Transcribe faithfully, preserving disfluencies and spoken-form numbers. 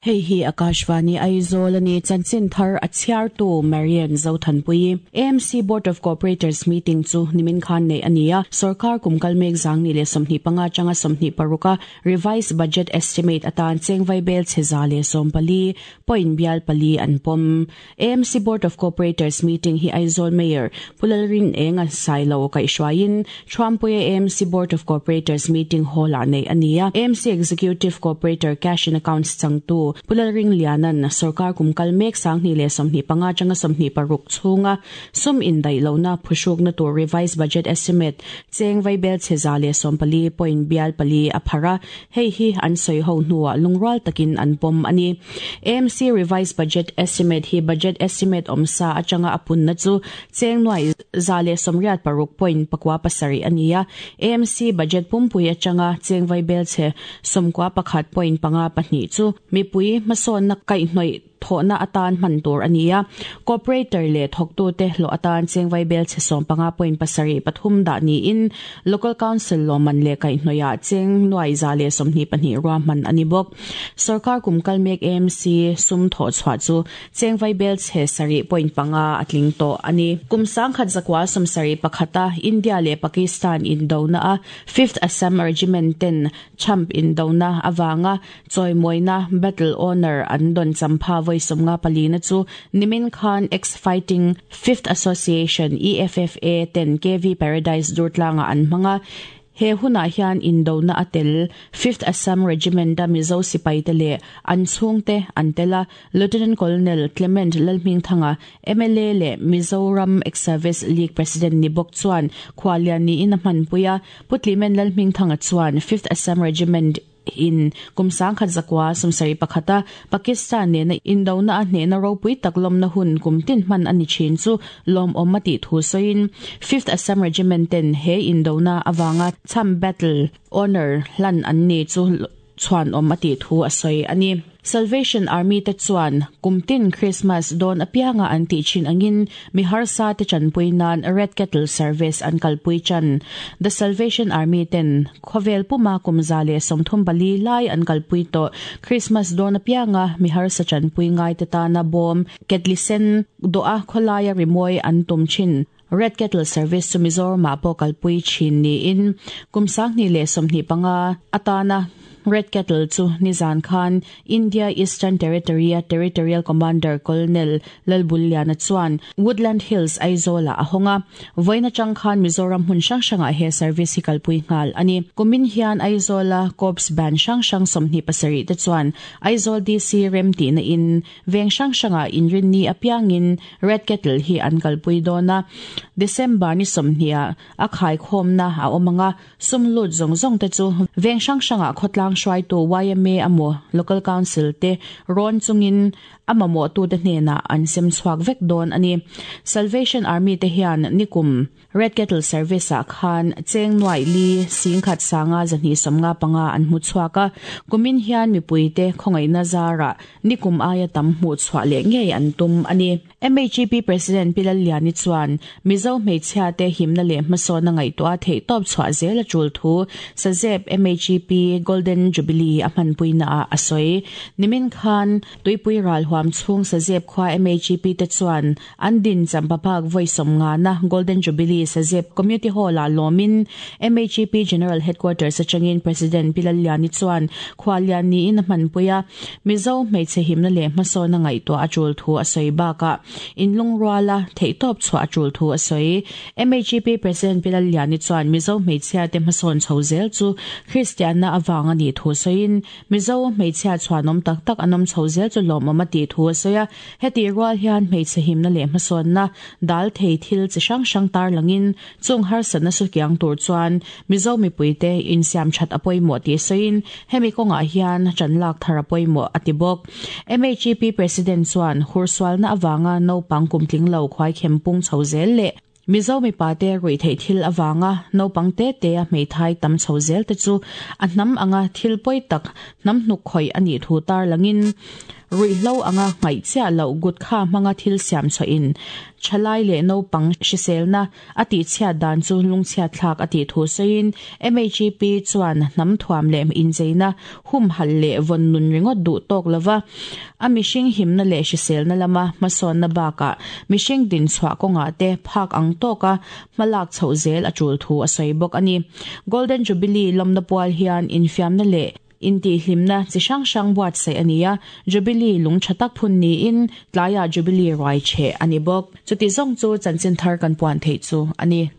Hei hi Akashvani Aizawl ani chanchin thar a chhiartu Marian Zothanpui. A M C Board of Cooperators meeting chu nimin khan nei ania. Sarkar kumkal mek zangni le somhni panga changa somhni paruka revised budget estimate atan chengvai bel cheza le sompali point bial pali an pom. A M C Board of Cooperators meeting hi Aizawl Mayor Pulalrin Enga Sailo kai shwain Trumpui A M C Board of Cooperators meeting hall a nei ania. A M C Executive Cooperator Cash and Accounts changtu Pulalring Lianan sarkar kumkal mek sangni le somhni panga changa somhni paruk chunga sum in dai lona phushuk na to revised budget estimate cheng vai bel cheza le sompali point bial pali aphara. Hei hi an soi ho nuwa lungral takin an pom ani. A M C revised budget estimate hi budget estimate omsa achanga apun na chu cheng nuai zale somriat paruk point pakwa pasari ania. A M C budget pumpui achanga cheng vai bel che somkwa pakhat point panga pahnih chu mipui mason na kai hnoi thona atan man tur ania. Cooperator le thoktu te hlo atan chengwai bel che som panga point pasari pathum da ni in local council loman le kai hnoya cheng nuai za le somni pahnih ro man ani bok. Sarkar kumkal mek A M C sum tho chwa chu chengwai bel che sari point panga atling to ani. Kumsang khat zakwa somsari pakhata India le Pakistan in dona a fifth Assam Regiment ten champ in dona awanga choimoina battle honor an don champha voi somnga palina chu nimin khan Ex Fighting Fifth Association E F F A ten K V Paradise Durtlanga an manga. He huna hian indona atel fifth Assam Regiment da Mizo sipai te le an chhungte an tela. Lieutenant Colonel Clement Lalhming Thanga, M L A le Mizoram Ex Service League President ni bok chuan khwalian ni in a hman puya. Putlimen Lalhming Thanga chuan fifth Assam Regiment in kumsang khat zakwa sumsari pakhata Pakistan ne na indona a hne na ropui taklom na hun kumtin man ani chin chu lom omati thu soin fifth Assam Regiment ten he indona awanga cham battle honor hlan an ni chu chuan om ati thu a soi ani. Salvation Army te chuan kumtin Christmas don apianga an ti chin angin mi harsa te chanpui nan Red Kettle Service an kalpui chan. The Salvation Army ten khovel puma kumza le somthum bali lai an kalpui to. Christmas don apianga mi harsa chanpui ngai te ta na bom ketlisen do a kholaya rimoi an tum chin. Red Kettle Service chu Mizoram ma po kalpui chin ni in kumsang ni le somhni panga atana Red Kettle chu nizan khan India Eastern Territory Territorial Commander Colonel Lalbuliana chuan Woodland Hills Aizola ahonga. Voina chang khan Mizoram hun sang sanga he service hi kalpui ngal ani. Kumin hian Aizola Corps Band sang sang somhni pasari te chuan Aizawl D C rem ti na in veng sang sanga in rin ni apiangin Red Kettle hi an kalpui dona. December ni somhnia a khai khom na a omanga sumlut zong zong te chu veng sang sanga khotlang shwai to Y M A amo local council te ron chungin amamo tu te hnena an sem chuak vek don ani. Salvation Army te hian nikum Red Kettle Service a khan cheng nuai li sing khat sanga zani somnga panga an mu chuaka. Kumin hian mipui te khongai na zara nikum aya tam mu chwa le nge an tum ani. M H G P President Pilal Liani chuan Mizo hmeichhia te himna le hmasawn na ngaihtuah theih tawp chhuah zel a tul thu Sazep M H G P Golden Jubilee a hmanpui na a a sawi. Nimin khan tuipui ral huam chhung Sazep khwa M H G P te chuan an din champapak voisom nga na Golden Jubilee Sazep Community Hall a lomin M H G P General Headquarters atangin President Pilal Liani chuan khwalian ni in a hmanpuia. Mizo hmeichhe himna le hmasawn na ngaihtuah a tul thu a sawi baka inlung ruala theihtawp chhuah a tul thu a sawi. M H G P President Pilal Liani chuan Mizo hmeichhia te hmasawn chho zel chu Christian na awanga ni thu sawiin Mizo hmeichhia chuanom tak tak anom chho zel chu lawmawm a ti thu a sawi a. Heti rual hian hmeichhe himna leh hmasawn na dal thei thil chi hrang hrang tar langin chung harsatna su kiang tur chuan Mizo mipui te insiam that a pawimawh ti sawiin hemi kawngah hian chanlak thar a pawimawh a ti bawk. M H G P President chuan hursualna awanga naupang kumtling lo khuai khempung chho zel le Mizo mi pate rui thei thil awanga naupang te te a hmeithai tam chho zel te chu a hnam anga thil pawi tak hnam hnuk khoi ani thu tar langin Ruihhlo anga ngaih chiah loh gutkha hmanga thil siam chhuahin thalai leh naupang hriselna a tihchhiat dan chu lungchhiatthlak a tih thu sawiin M H P chuan hnam thuam leh incheina humhalh leh vawn nun ringawt duh tawk lova a mihring himna leh hriselna lama hmasawnna bakah mihring din chhuah kawngah te phak ang tawka hmalak chhoh zel a tul thu a sawi bawk a ni. Golden Jubilee lawmna pual hian infiamna leh intihhlimna chi hrang hrang buatsaih a ni a, Jubilee lung tha tak phun niin tlaiah Jubilee ruai cheh a ni bawk. Chuti zawng chu chanchin thar kan puan theih chu a ni.